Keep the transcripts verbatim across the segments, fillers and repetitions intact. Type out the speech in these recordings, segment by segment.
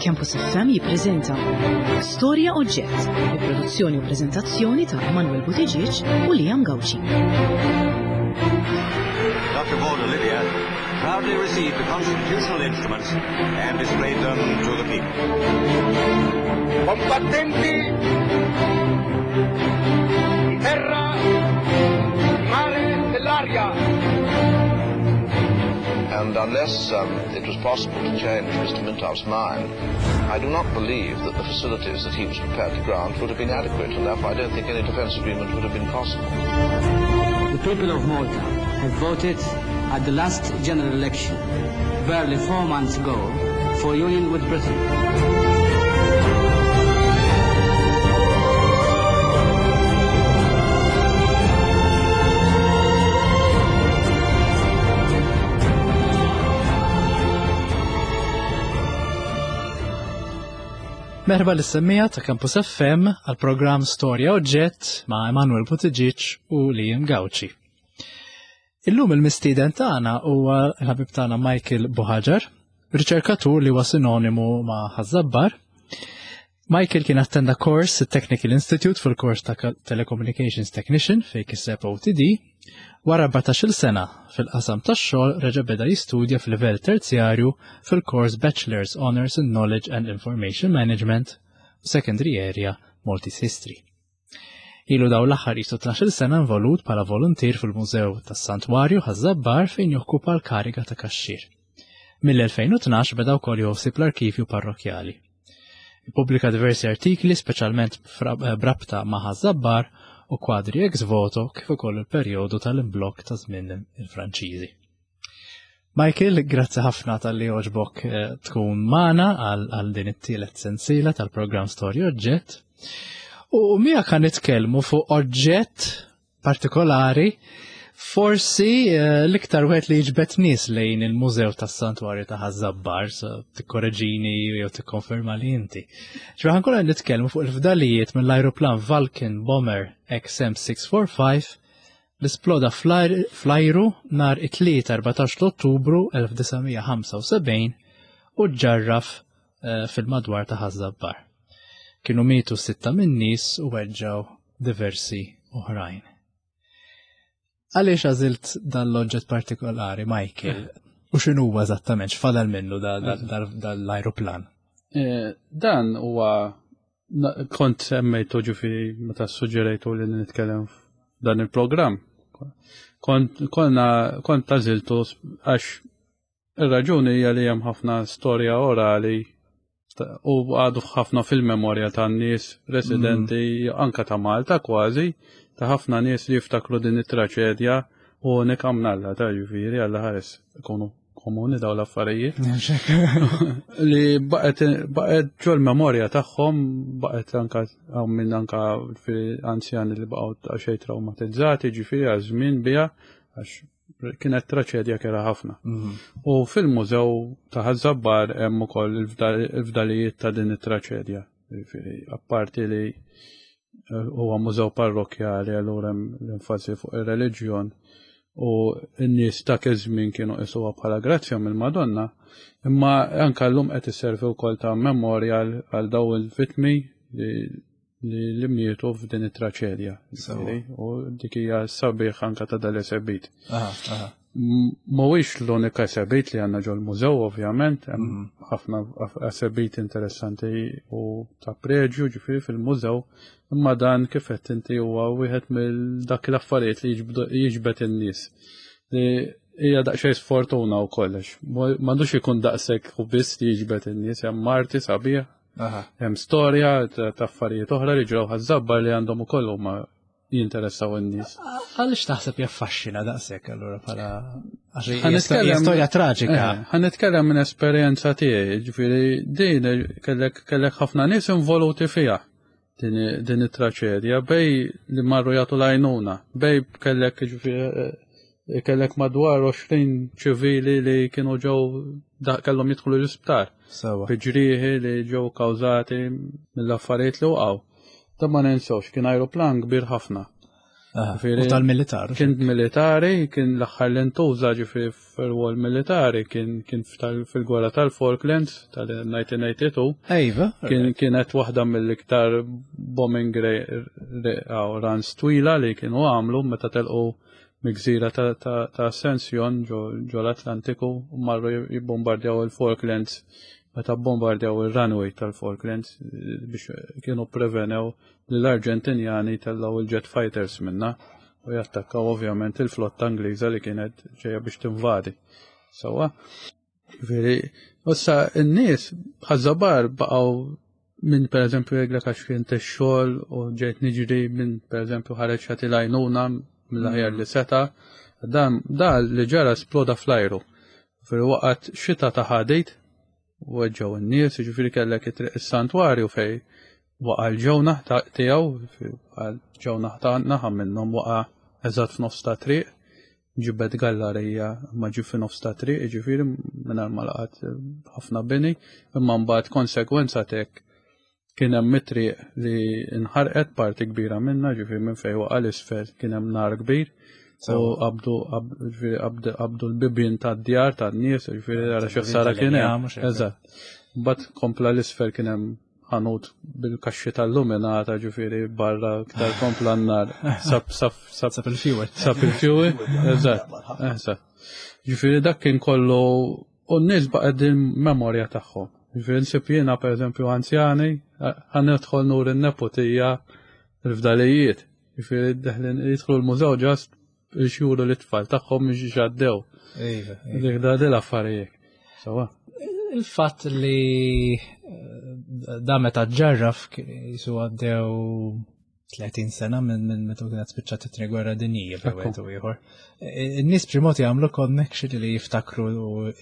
Campus F M jippreżenta Storja Oġġett, bi produzzjoni u preżentazzjoni ta' Emanuel Buttigieg u Liam Gauci. Doctor Borg Olivia proudly received the constitutional instruments and displayed them to the people. Combattenti di terra, di mare, dell'aria. And unless, um, it was possible to change Mister Mintoff's mind, I do not believe that the facilities that he was prepared to grant would have been adequate, and therefore I don't think any defence agreement would have been possible. The people of Malta have voted at the last general election, barely four months ago, for union with Britain. Merħba lis-semmija ta' Campus F M għal programm Storja Oġġett ma' Emanuel Buttigieg u Liam Gauci. Illum il-mistieden tagħna huwa l-ħabib tagħna Michael Buhagiar, riċerkatur li huwa sinonimu ma' Ħaż-Żabbar. Michael kien attenda kors Technical Institute fil-kors ta' Telecommunications Technician fejn kiseb O T D. Wara erbatax-il sena fil-qasam tax-xogħol reġa' beda jistudja fil-livell terzjarju fil-kors Bachelor's Honors in Knowledge and Information Management u Secondary Area Maltese History. Ilu daw l-aħħar jisu tnax-il sena involut bħala voluntier fil-Mużew tas-Santwarju Ħaż-Żabbar fejn jokkupa l-kariga ta' kaxxir. Mill-elfejn u tnax beda wkoll joħsib l-arkivju parrokjali. Ippubblika diversi artikli, speċjalment fra-, eh, brabta ma' Ħaż-Żabbar u kwadri ex voto kif ukoll il-perjodu tal-imblokk ta' żmien il-Franċiżi. Michael, grazzi ħafna tal-li għoġbok, eh, tkun magħna għal, għal din it-tielet sensiela tal-programm Storja Oġġett. U miegħek kan nitkellmu fuq oġġett partikolari, forsi, eh, l-iktar wieħed li jiġbed nies lejn il-Mużew tas-Santwarju ta' Ħaż-Żabbar, so tikkoreġini jew tikkonferma li inti. Ġifieri ħankun qed nitkellmu fuq il-fdalijiet mill-ajruplan Vulcan Bomber X M six four five li sploda fl-ajr-, fl-ajru nhar it-tlieta erbatax ta' Ottubru elf disa' mija ħamsa u sebgħin u ġarraf, eh, fil-madwar ta' Ħaż-Żabbar. Kienu mietu sitta min-nies u weġġgħu diversi oħrajn. Għaliex għażilt dan l-oġġett partikolari, Michael? U x'inhu huwa eżattament, x'fadal minnu da-, da-, da-, dal-ajruplan? Eh, dan huwa na-, kont semmejtu ġifieri meta suġġerejtu li nitkellem f'dan il-programm. Kont, konna, kont għażiltu għax ir-raġuni hija li hemm ħafna storja orali ta-, u għadu ħafna fil-memorja tan-nies residenti Mm. anka ta' Malta kważi, ta' ħafna nies li jiftakru din it-traċedja u nikamnalla ta' ġifieri għalla ħares ikunu komuni daw l-affarijiet. Li baqgħet, baqgħet ġol-memorja tagħhom, baqgħet anka hawn minn anka fi anzjani li baqgħu ta' xejn traumatizzati, ġifieri għal żmien biha għax kienet traċedja kera ħafna. Mhm. U fil-mużew ta' Ħaż-Żabbar hemm ukoll il-fdal-, il-fdalijiet ta' din it-traċedja. Ġifieri, apparti li huwa mużew parrokjali, allura hemm l-enfasi fuq ir-reliġjon u n-nies ta' iż-żmien kienu qisuha bħala grazzja mill-Madonna, imma anke llum qed isservi wkoll ta' memorial għal daw il-vittmi li, li, li mietu f'din it-traċedja. Sewa. Ġifieri, u dik hija sabiħ anke ta' dal-esebit. Aha, aha. M-, mhuwiex l-unika esebit li għandna ġol-mużew, ovvjament, hemm Mhm. ħafna af-, esebit interessanti u ta' preġju ġifieri fil-mużew, imma dan kif qed inti huwa wieħed mill dak l-affarijiet li jiġbdu, jiġbed in-nies. Li hija daqsxejn sfortuna u kollox. Mo-, m'għandux ikun daqshekk u biss li jiġbed in-nies, hemm arti sabiħ, Aha. hemm storja ta', ta' affarijiet oħra li ġraw Ħaż-Żabbar li għandhom ukoll huma jinteressaw in-nies. Għaliex taħseb jaffaxxina daqshekk allura bħala għax Ħa hija nitkellem storja traġika. Eh, ħa nitkellem minn esperjenza tiegħi, ġifieri din kellek, kellek ħafna nies involuti fiha din, din it-traċedja, bej li marru jagħtu l-għajnuna, bej kellek ġifieri, eh, kellek madwar għoxrin ċivili li kienu ġew da-, kellhom jidħlu l-isptar. Sewa. Bi ġrieħi li ġew kawżati mill-affarijiet li waqgħu. Da ma ninsewx kien ajruplan kbir ħafna. U tal-militar. Kien militari, kien l-aħħar li ntuża ġifieri fil-wol militari, kien kien fil-gwerra tal-Falklands tal-elf disa' mija tnejn u tmenin. Ejva. Kien kienet waħda mill-iktar bombing runs twila li kienu għamlu meta telqu mill-gżira ta' Ascension ġo l-Atlantiku u marru jibbombardjaw il-Falklands, meta bombardjaw il-runway tal-Falklands biex kienu prevenew li l-Arġentinjani tellaw il-jet fighters minna u jattakkaw ovvjament il-flotta Ingliża li kienet ġeja biex tinvadi. Sawa. Veri, issa n-nies Ħaż-Żabbar baqgħu minn, per eżempju, jgħidlek għax kien xogħol u ġejt niġri, minn per eżempju ħareġ ħati lajnuna mill-aħjar li seta. Dan da li ġara sploda fl-ajru. Fil-waqt xita ta' ħadid u weġġgħu n-nies, ġifieri kellek it-triq is-santwarju fej waqa' l-ġewnaħ tiegħu, ġewnaħ ta' naħa minnhom waqa' eżatt f'nofs ta' triq, ġibed gallarija ma ġi f'nofs ta' triq, ġifieri mingħajr ma laqat ħafna bini, imma mbagħad konsekwenza tek kien hemm it-triq li nħarqet parti kbira minna, ġifieri minn fejn waqa' l-isfel kien hemm nar kbir. U qabdu qabdu l-bibien tad-djar tan-nies, ġifieri għara xi ħsara kien hemm. Eżatt. Mbagħad kompla l-isfel kien hemm ħanut bil-kaxxi tal-luminata, ġifieri barra iktar kompla n-nar. Sab sab sab sab il-fuel. Sab il-fuel, eżatt, eżatt. Ġifieri dak kien kollu u n-nies baqgħet din memorja tagħhom. Ġifieri nsib jiena pereżempju anzjani, ħa nidħol nur in-neputija l-fdalijiet. Ġifieri deħlin jidħlu l-mużew ġast xjuru l-tfal tagħhom biex ġaddew. Iva. Dik da dil affarijiet. Sawa. Il-fatt li da meta ġarraf jisu għaddew tletin sena minn minn meta kienet spiċċat it-tieni gwerra dinjija bejn wieħed u ieħor. In-nies b'xi mod jagħmlu connection li jiftakru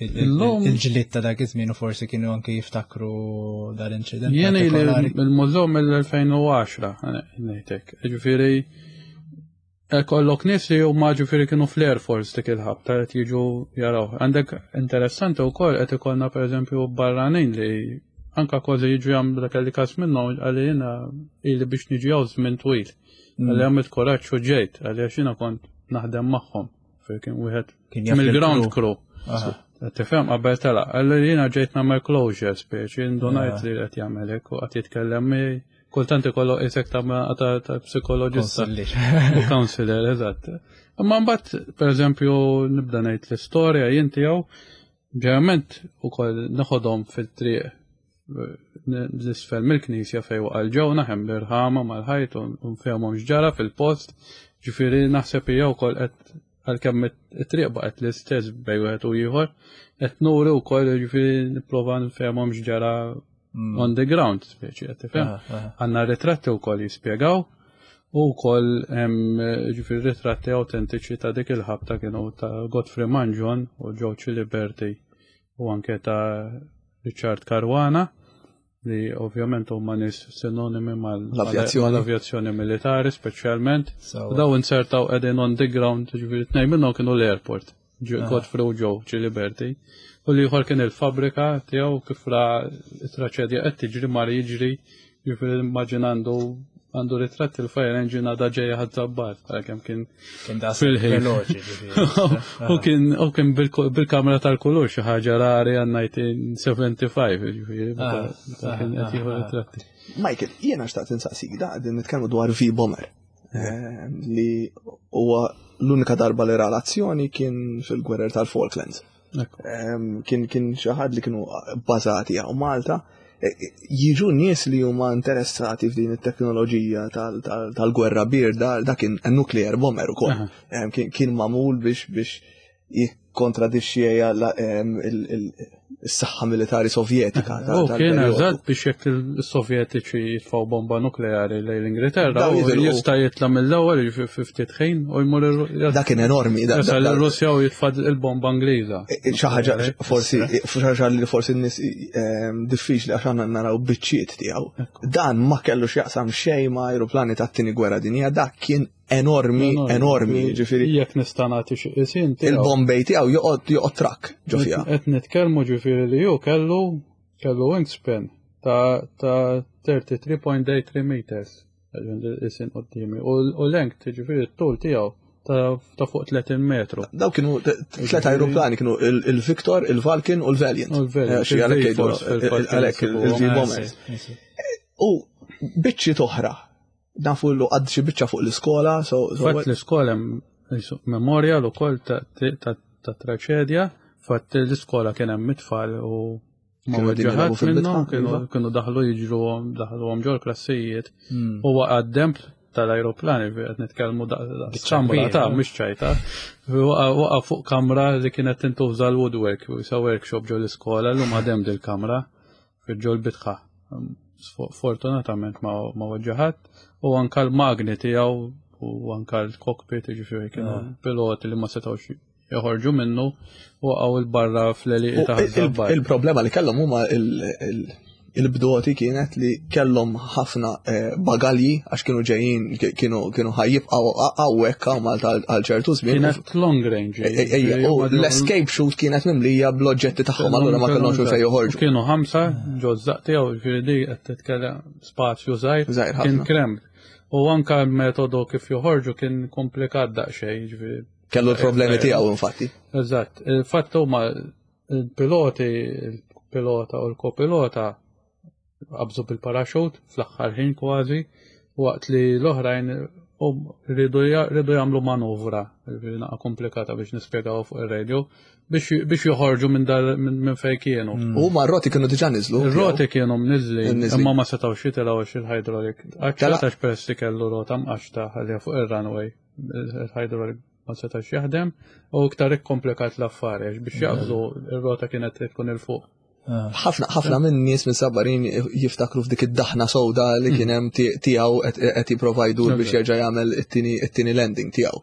il-ġlied ta' dak iż-żmien u forsi kienu anke jiftakru dal-inċident. Jien il-mużew mill-elfejn u għaxra ngħidlek. Ġifieri kollok nies li huma ġifieri kienu fl-Air Force dik il-ħabta qed jiġu jaraw. Għandek interessanti wkoll qed ikollna pereżempju barranin li anka kważi jiġu jagħmlu dak li każ minnhom għalli jiena ili biex niġi hawn żmien twil. Għalli għamilt kuraġġ u ġejt, għalli għax jiena kont naħdem magħhom. Fejn kien wieħed mill-ground crew. Tifhem qabel telaq, għalli jiena ġejt nagħmel closure speċi, indunajt li qed jagħmel hekk u qed jitkellem miegħi. Kultant ikollu qisek ta' ta' psikoloġista. U counselor, eżatt. Imma mbagħad, pereżempju, nibda ngħid l-istorja jien tiegħu, ġeneralment ukoll neħodhom fil-triq l-isfel mill-knisja fejn waqa' l-ġewna, hemm l-irħama mal-ħajt u nfehmhom x'ġara fil-post. Ġifieri naħseb hija wkoll qed għalkemm it-triq baqgħet l-istess bejn wieħed u ieħor, qed nuri wkoll ġifieri nipprova nfehmhom x'ġara on the ground, speċi, qed tifhem. Għandna ritratti wkoll jispjegaw u wkoll hemm ġifieri ritratti autentiċi ta' dik il-ħabta kienu ta' Godfrey Mangion u Joe Ciliberti u anke ta' Richard Caruana li ovvjament huma nies sinonimi mal-avjazzjoni mal-avjazzjoni militari speċjalment. U daw insertaw qegħdin on the ground, ġifieri tnejn minnhom kienu l-airport, Godfrey u Joe Ciliberti. U li ieħor kien il-fabrika tiegħu kif ra traċedja qed tiġri mar jiġri, jiġifieri immaġina għandu għandu ritratt il-fire engine għadha ġejja Ħaż-Żabbar, għalkemm kien fil-ħin. U kien u kien bil-kamera tal-kulur, xi ħaġa rari għal elf disa' mija u sebgħa u ħamsin, ġifieri meta kien qed jieħu ritratti. Michael, jiena xtaqt insaqsik, da qegħdin nitkellmu dwar V-Bomber li huwa l-unika darba li ra l-azzjoni kien fil-gwerer tal-Falklands. Kien kien xi ħadd li kienu bbażati hawn Malta. Jiġu nies li huma interessati f'din it-teknoloġija tal-gwerra birda, dak kien nuclear bomber ukoll. Kien magħmul biex biex jikkontradixxi is-saħħa militari sovjetika. U kien eżatt biex jekk il-Sovjetiċi jitfgħu bomba nukleari lejn l-Ingilterra, jista' jitla' mill-ewwel fi ftit ħin u jmur Dak kien enormi. Jasal ir-Russja u jitfa' il-bomba Ingliża. Xi ħaġa forsi xi ħaġa li forsi n-nies diffiċli għax għandna naraw biċċiet tiegħu. Dan ma kellu x'jaqsam xejn ma' ajruplani tat-tieni gwerra dinjija, dak kien enormi, enormi, ġifieri. Jekk nista' nagħti xi qisien tiegħu. Il-bombej tiegħu joqgħod joqgħod trakk ġo fiha. Qed nitkellmu ġifieri li hu kellu, kellu wingspan ta', ta' thirty-three point eight three meters. Isin quddiemi. U length, ġifieri t-tul tiegħu ta' fuq tletin metru. Daw kienu tliet aeroplani, kienu il-Victor, il-Vulcan u l-Valiant. Għalhekk il-V-bombers. U biċċi toħra. Nafu l għad xi biċċa fuq l-iskola. Fatt l-iskola memorial ukoll ta' traċedja, fatt l-iskola kien hemm it-tfal u ma weġġaħat minnhom, kienu daħlu jiġru daħluhom ġol klassijiet u waqa' d-demp tal-ajruplani, qed nitkellmu kamra ta' mhux ċajta. Waqa' fuq kamra li kienet tintuża l-woodwork, sa workshop ġol iskola, llum għadem dil-kamra ġol bitħa. Fortunatament ma weġġaħat u anka l-magni tiegħu u anka l-cockpit, ġifieri kienu piloti li ma setgħux joħorġu minnu u għaw il-barra fl-għelieqi ta' Ħaż-Żabbar. Il-problema li kellhom huma il-bdoti kienet li kellhom ħafna bagalji għax kienu ġejjin, kienu kienu ħajjibqgħu hawnhekk hawn Malta għal ċertu żmien. Kienet long range. U l-escape chute kienet mimlija bl-oġġetti tagħhom, allura ma kellhomx fejn joħorġu. Kienu ħamsa ġo żaq tiegħu, ġifieri di qed titkellem spazju żgħir, kien krem. U anka l-metodu kif joħorġu kien komplikat daqsxejn, ġifieri. Kellu l-problemi tiegħu infatti. Eżatt, il-fatt huma il-piloti, il-pilota u l-kopilota qabżu bil-paraxut fl-aħħar ħin kważi, waqt li l-oħrajn rridu jagħmlu manuvra, naqa komplikata biex nispjegaw fuq ir-radio, biex joħorġu minn minn fejn kienu. U ma r-roti kienu diġà niżlu. Ir-roti kienu mniżli, imma ma setgħux jitilgħu għax il-hydraulic. Għax peress li kellu rota mqaxta ħalliha fuq ir-runway, il-hydraulic ma setax jaħdem u iktar ikkomplikat l-affari għax biex jaqbżu ir-rota kienet tkun il fuq. Ħafna ħafna minn nies minn Sabarin jiftakru f'dik id-daħna sewda li kien hemm tiegħu qed jipprova jdur biex jerġa' jagħmel it-tieni landing tiegħu.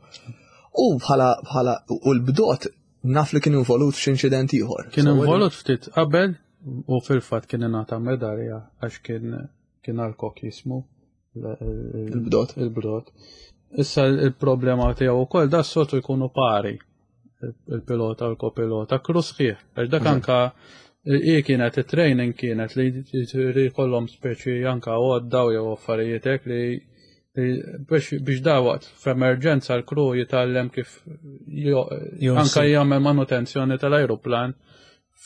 U bħala bħala u l-bdot naf li kien involut f'xi inċident ieħor. Kien involut ftit qabel u fil-fatt kien ingħata medalja għax kien kien għal-kok jismu il-bdot. Il-bdot. Issa il-problema tiegħu wkoll da s-soltu jkunu pari il-pilota u l-kopilota, kru sħiħ. Għax dak anka i kienet it-training kienet li jkollhom speċi anka għodda jew affarijiet hekk li biex da waqt f'emerġenza l-kru jitgħallem kif anka jagħmel manutenzjoni tal-ajruplan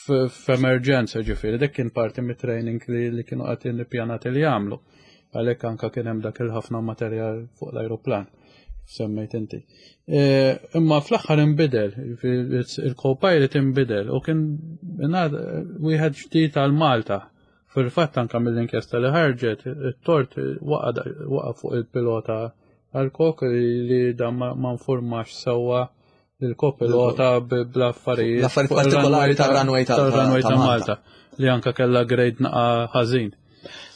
f'emerġenza, ġifieri dik kien parti mit-training li kienu qed nippjanati li jagħmlu. Għalhekk anka kien hemm dak il-ħafna materjal fuq l-ajruplan, semmejt inti. Imma fl-aħħar inbidel, il-co-pilot inbidel u kien wieħed ġdid għal Malta. Fil-fatt anka mill-inkjesta li ħarġet, it-tort waqa' fuq il-pilota għal-kok li dan ma nfurmax sewwa il-kopilota bl-affarijiet. L-affarijiet partikolari tar-runway ta' Malta li anka kellha grade naqa' ħażin.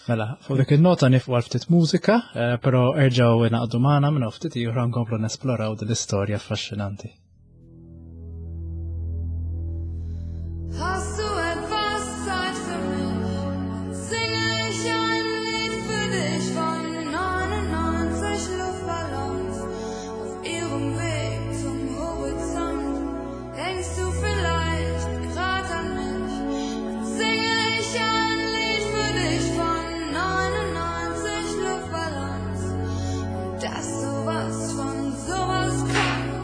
Mela, fuq dik il-nota nifqu għal ftit mużika, però erġgħu naqdu magħna minn ftit ieħor nkomplu nesploraw din l-istorja affaxxinanti. Hast du etwas Zeit für mich? Singe ich ein Lied für dich von neunundneunzig Luftballons auf ihrem Weg zum Horizont. Denkst du vielleicht grad an mich? Dann singe ich ein Lied für dich von neunundneunzig Luftballons und dass sowas von sowas kommt.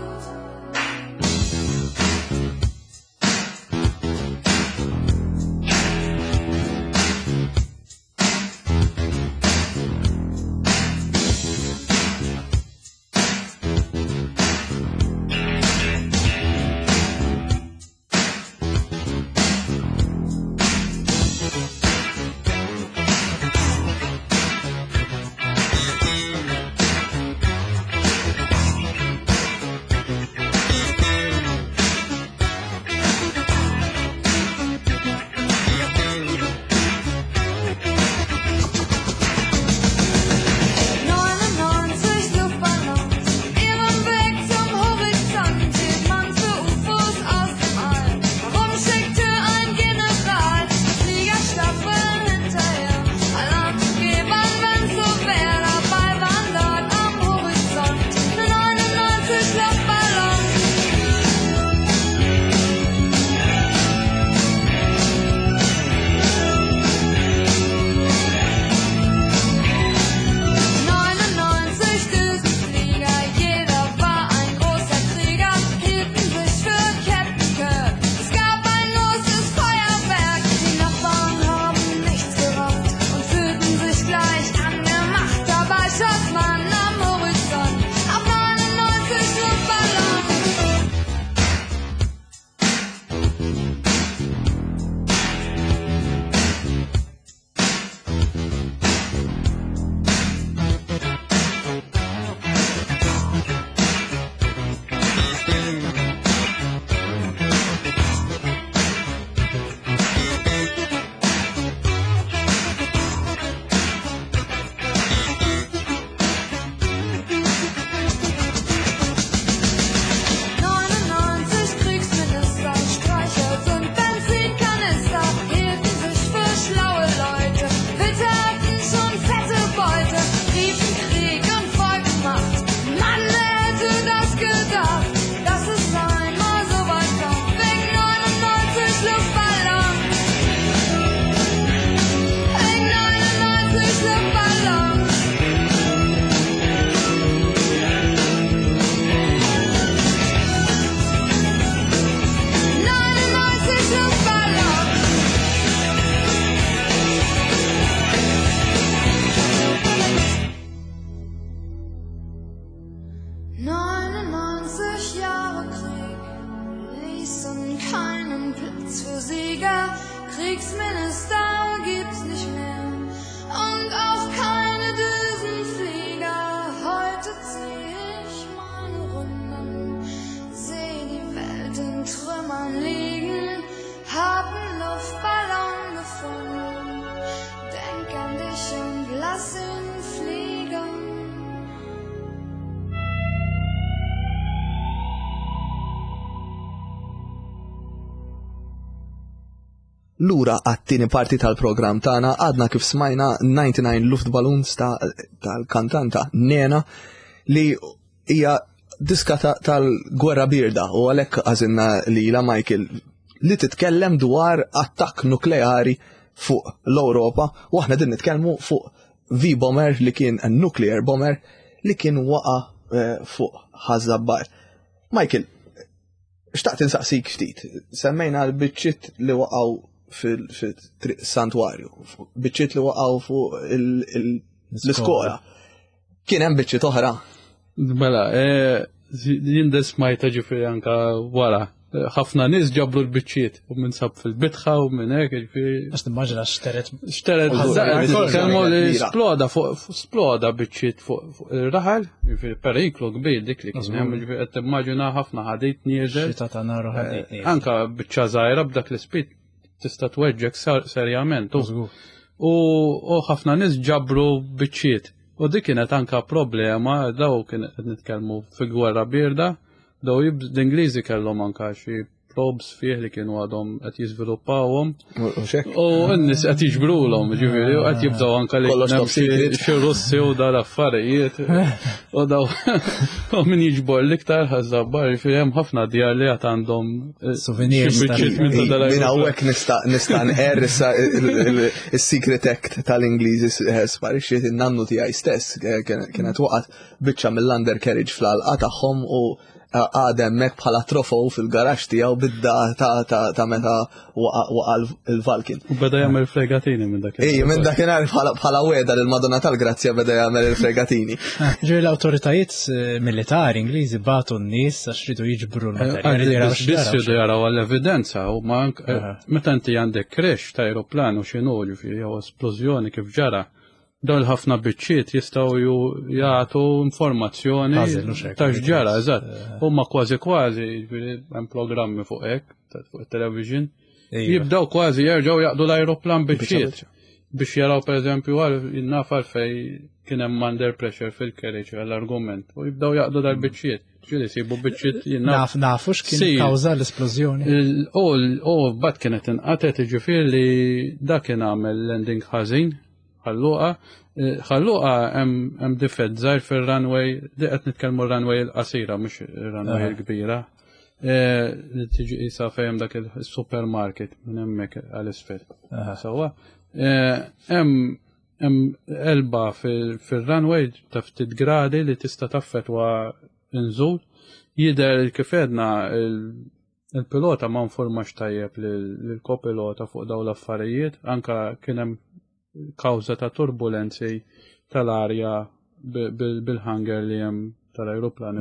Flieger, Kriegsminister gibt's nicht mehr und auch keine Düsenflieger. Heute zieh ich meine Runden, seh die Welt in Trümmern liegen, hab 'n Luftballon gefunden, denk an dich und lass ihn fliegen. Lura għat-tieni parti tal-programm tagħna għadna kif smajna ninety-nine Luftballons tal-kantanta Nena li hija diska tal-gwerra birda u għalhekk għażilna lilha Michael li titkellem dwar attakk nukleari fuq l-Ewropa u aħna din nitkellmu fuq V-bomber li kien nuclear bomber li kien waqa' fuq Ħaż-Żabbar. Michael, xtaqt insaqsik ftit, semmejna l-biċċiet li waqgħu fil-triq santwarju, biċċiet li waqgħu fuq l-iskola. Kien hemm biċċiet oħra? Mela, jien smajta ġifieri anka wara. Ħafna nies ġabru l-biċċiet u minn sab fil-bitħa u minn hekk ġifieri. Għax nimmaġina xteret. Xteret, kelmu li sploda fuq sploda biċċiet fuq ir-raħal, ġifieri periklu kbir dik li kien hemm, ġifieri qed timmaġina ħafna ħadid nieżel. Xita ta' nar u ħadid nieżel. Anka biċċa żgħira b'dak l-ispit tista' tweġġek serjament. U ħafna nies ġabru biċċiet. U dik kienet anka problema, daw kien qed nitkellmu fil-gwerra birda. Daw l-Ingliżi kellhom anka xi probes fih li kienu għadhom qed jiżviluppawhom. U n-nies qed jiġbrulhom, ġifieri, u qed jibdew anka li xi Russi u dal affarijiet. U daw u min jiġbor l-iktar Ħaż-Żabbar, ġifieri hemm ħafna djar li għad għandhom souvenirs. Min hawnhekk nista' nista' nqerr issa is-Secret Act tal-Ingliżi sparixxiet in-nannu tiegħi stess kienet waqgħet biċċa mill-undercarriage fl-għalqa tagħhom u għadem mek bħala trofew fil-garax tiegħu bid-data ta' meta waqa' il-Valkin. U beda jagħmel fregatini minn dakinhar. Ej, minn dakinhar bħala weda lil Madonna tal-Grazzja beda jagħmel il-fregatini. Ġifieri l-awtoritajiet militari Ingliżi bagħtu n-nies għax ridu jiġbru l-materjali. Biss ridu jaraw għall-evidenza u ma meta inti għandek crash ta' aeroplan u x'inhu ġifieri jew esplożjoni kif ġara. Dawn ħafna biċċiet jistgħu jagħtu informazzjoni ta' x'ġara, eżatt. Huma kważi kważi hemm programmi fuq hekk, fuq it-television. Jibdew kważi jerġgħu jaqdu l-ajruplan biċċiet biex jaraw pereżempju naf għalfejn kien hemm under pressure fil-carriage għall-argument u jibdew jaqdu dal-biċċiet. Ġieli sibu biċċiet naf nafu x'kien kawża l-esplożjoni. U mbagħad kienet inqatet jiġifieri li dak kien għamel landing ħażin. Ħalluqa, ħalluqa hemm difett żgħir fir-runway, di qed nitkellmu runway l-qasira mhux ir-runway l-kbira. Li tiġi qisha fejn dak il-supermarket minn hemmhekk għal isfel. Sewwa. Hemm hemm elba fir-runway ta' ftit gradi li tista' taffettwa nżul. Jidher kif għedna il-pilota ma nformax tajjeb lill-kopilota fuq dawn l-affarijiet, anka kien hemm kawża ta' turbulenzi tal-arja bil-hangar li hemm tal-ajruplan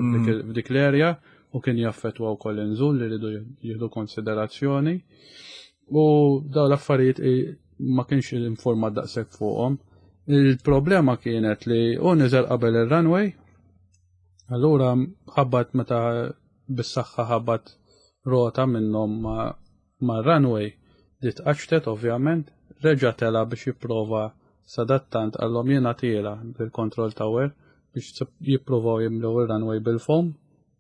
f'dik l-erja u kien jaffettwa wkoll inżul li rridu jieħdu konsiderazzjoni. U dawn l-affarijiet ma kienx informat daqshekk fuqhom. Il-problema kienet li hu niżel qabel ir-runway, allura ħabbat meta bis-saħħa ħabbat rota minnhom mar-runway li tqaċtet ovvjament. Reġa' tela biex jipprova sadattant għallhom jiena tiela bil-control tower biex jippruvaw jimlew ir-runway bil-foam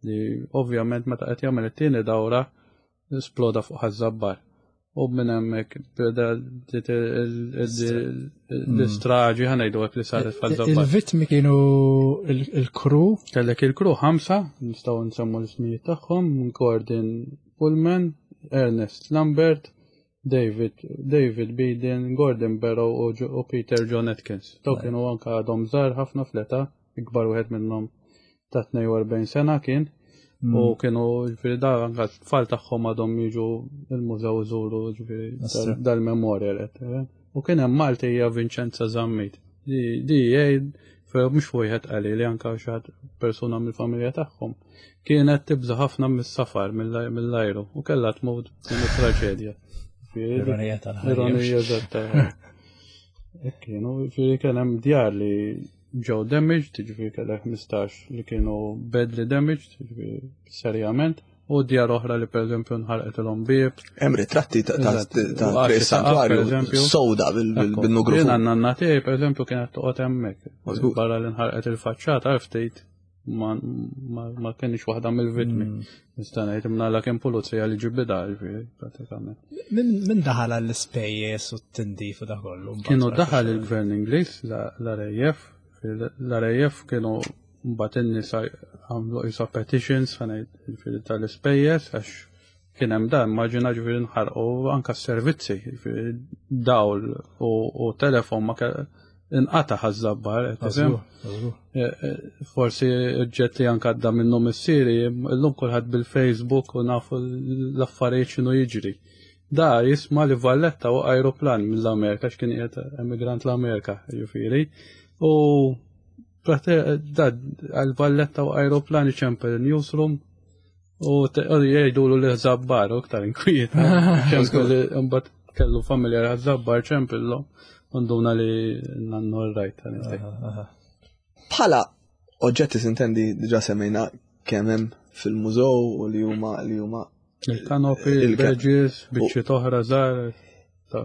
li ovvjament meta qed jagħmel it-tieni dawra sploda fuq Ħaż-Żabbar. U minn hemmhekk beda l-istraġi ħa ngħidu hekk li saret f'Ħaż-Żabbar. Il-vittmi kienu il-crew? Kellek il-crew ħamsa, nistgħu nsemmu l-ismijiet tagħhom, Gordon Pullman, Ernest Lambert, David David Beden, Gordon Barrow u Peter John Atkins. Daw kienu anka għadhom żgħar ħafna fl-età, ikbar wieħed minnhom ta' tnejn u erbgħin sena kien. U kienu ġifieri da anka t-tfal tagħhom għadhom jiġu il-mużew iżuru ġifieri dal-memorial qed. U kien hemm Maltija Vincenza Zammit. Di jgħid mhux wieħed qali li anka xi ħadd persuna mill-familja tagħhom kienet tibża' ħafna mis-safar mill-ajru u kellha tmut din it-traġedja. Ironija tal-ħajja. Ironija eżatt. Hekk kienu, ġifieri kien hemm djar li ġew damaged, ġifieri kellek ħmistax li kienu badly damaged, ġifieri serjament, u djar oħra li pereżempju nħarqet bieb. Hemm ritratti ta' ta' Eżatt. ta' U għaxi Triq Santwarju saqaf, pereżempju. sowda bil- bil- Ekku. bil-nugrufun. Jiena n-nanna tiegħi pereżempju kienet toqgħod hemmhekk. Mażgur. Barra li nħarqet il-faċċata ftit ma, ma, ma kienx waħda mill-vittmi. Nista' ngħid imnalla kien pulizija li ġibida ġifieri pratikament. Min min daħal għall-ispejjeż u t-tindif u da kollu? mbagħad Kienu wara daħal xi- il-gvern Ingliż, la- l-R A F, l-R A F kienu mbagħad in-nisa għamlu isa petitions ħa ngħid ġifieri tal-ispejjeż għax kien hemm dan, immaġina ġifieri nħarqu anka s-servizzi, ġifieri dawl u, u telefon ma ke- inqata' Ħaż-Żabbar, qed tifhem? Żgur, żgur. Eh, eh, Forsi oġġetti anka għadda minnu missieri, illum kulħadd bil-Facebook u nafu l-affarijiet x'inhu jiġri. Da jisma' li Valletta u aeroplan mill-Amerika, x'kien qiegħed emigrant l-Amerika, ġifieri. U prate- da għal Valletta u aeroplan iċempel newsroom u te- u jgħidulu li Żabbar u iktar inkwiet. Ċempel imbagħad kellu familja Żabbar ċempillu u nduna li nannu rajt. Bħala oġġetti sintendi diġà semmejna kemm hemm fil-mużew u li huma li huma Il-kanopi, Il-ka- il-badges, biċċiet oħra żgħar. ta'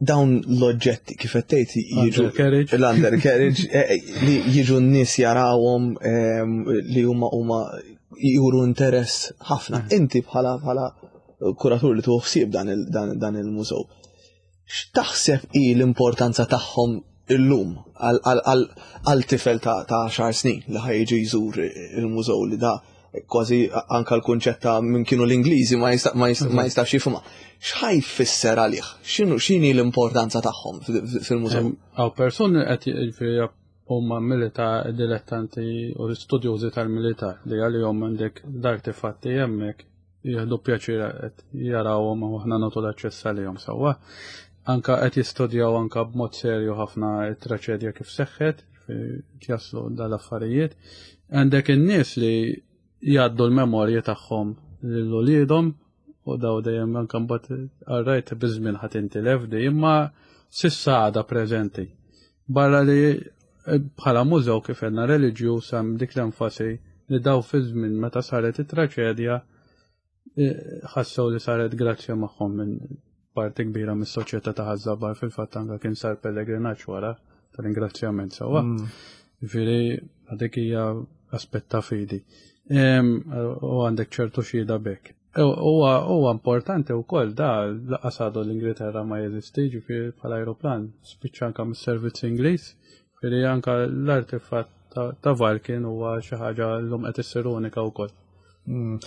dawn l-oġġetti kif qed tgħid jiġu Undercarriage. l-undercarriage eh, eh, li jiġu n-nies jarawhom ehm, li huma huma juru interess ħafna. Inti bħala bħala kuratur li tuħu ħsieb dan il- dan dan il-mużew. X'taħseb hi l-importanza tagħhom illum għal- għal għal- għal tifel ta' ta' għaxar snin li ħa jiġi jżur il-mużew li da kważi anka l-kunċett ta' minn kienu l-Ingliżi ma jista' ma jista' ma jistax jifhimha. X'ħa jfisser għalih? X'inhu x'inhi l-importanza tagħhom fil- fil-mużew? Għaw persuni qed jiġifieri huma militar dilettanti u studjużi tal-militar li għalihom għandek l-artefatti hemmhekk jieħdu pjaċir qed jarawhom u aħna nagħtu l-aċċess għalihom sewwa. Anka qed jistudjaw anka b'mod serju ħafna t-traċedja kif seħħet, ġifieri jaslu dal-affarijiet. Għandek in-nies li jgħaddu l-memorji tagħhom lil uliedhom u daw dejjem anke mbagħad għarrajt biż-żmien ħadd intilef di imma s'issa għadha preżenti. Barra li eh, bħala mużew kif għedna reliġjuż hemm dik l-enfasi li daw fi żmien meta saret it-traċedja eh, ħassew li saret grazzja magħhom minn parti kbira mis-soċjetà ta' Ħaż-Żabbar, fil-fatt anke kien sar pellegrinaġġ wara tal-ingrazzjament sewwa. Ġifieri għadik hija aspett ta' fidi. Em, U għandek ċertu xhieda bekk. Huwa huwa importanti wkoll da lanqas għadu l-Ingilterra ma jeżisti, ġifieri bħala aeroplan spiċċa anke mis-servizz Ingliż, ġifieri anke l-artefatt ta' ta' Vulcan huwa xi ħaġa llum qed issir unika wkoll. Mm.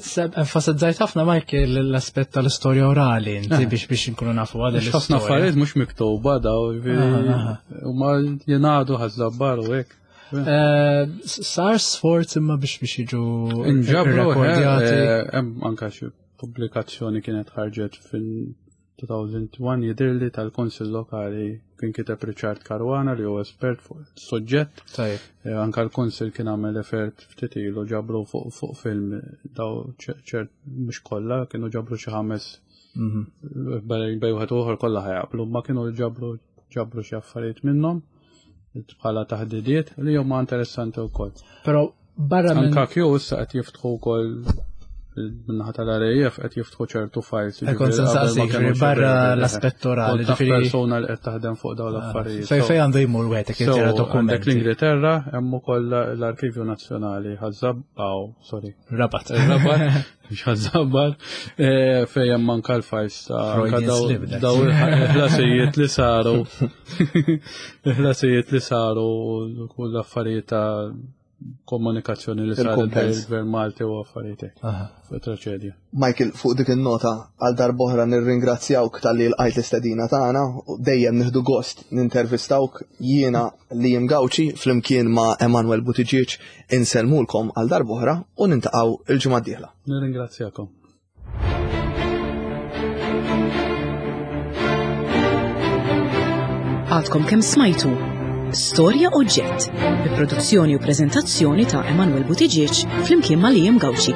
Seb, enfasizzajt ħafna, Michael, l-aspett tal-istorja orali, inti Eh. biex biex nkunu nafu għad Għax ħafna affarijiet mhux miktuba daw, ġifieri Aha, huma jingħadu Ħaż-Żabbar u hekk. Eh, Sar sforz imma biex biex jiġu Inġabru, rekordjati. eh, hemm anka xi pubblikazzjoni kienet ħarġet fil-elfejn u wieħed jidhirli tal-Konsil Lokali, kien kiteb Richard Caruana li huwa espert fuq is-suġġett. Tajjeb. Eh, Anka l-Konsil kien għamel effort ftit ilu ġabru fuq fuq film daw ċert mhux kollha kienu ġabru xi ħames Mhm. bej bej wieħed u ieħor kollha ħa jaqblu, ma kienu ġabru ġabru xi affarijiet minnhom bħala taħdidiet li huma interessanti wkoll. Però barra minn Anka Q issa qed jiftħu wkoll min-naħa tal-R A F qed jiftħu ċertu files. Eh, kont se nsaqsik, ġifieri barra l-aspett orali, ġifieri- persona li qed taħdem fuq dawn l-affarijiet. Fej fej għandu jmur wieħed jekk jara So, għandek dokumenti. l-Ingilterra, hemm ukoll l-Arkivju Nazzjonali Ħaż-Żabbar, sorry. Rabat. Rabat, mhux Ħaż-Żabbar, eh, fej hemm anka l-files ta' anka Freudian daw slip, that. daw il-ħlasijiet li saru. Il-ħlasijiet li saru u l-affarijiet ta' komunikazzjoni li saret bejn Il-kumpens. il-Gvern Malti u affarijiet hekk. Aha. Fuq traċedja. Michael, fuq dik il-nota għal darb'oħra nirringrazzjawk talli lqajt l-istedina tagħna u dejjem nieħdu gost nintervistawk. Jiena Liam Gauci flimkien ma' Emanuel Buttigieg insellmulkom għal darb'oħra u niltaqgħu il-ġimgħa d-dieħla. Nirringrazzjakom. Għadkom kemm smajtu Storja Oġġett, bi produzzjoni u preżentazzjoni ta' Emanuel Buttigieg flimkien ma' Liam Gauci.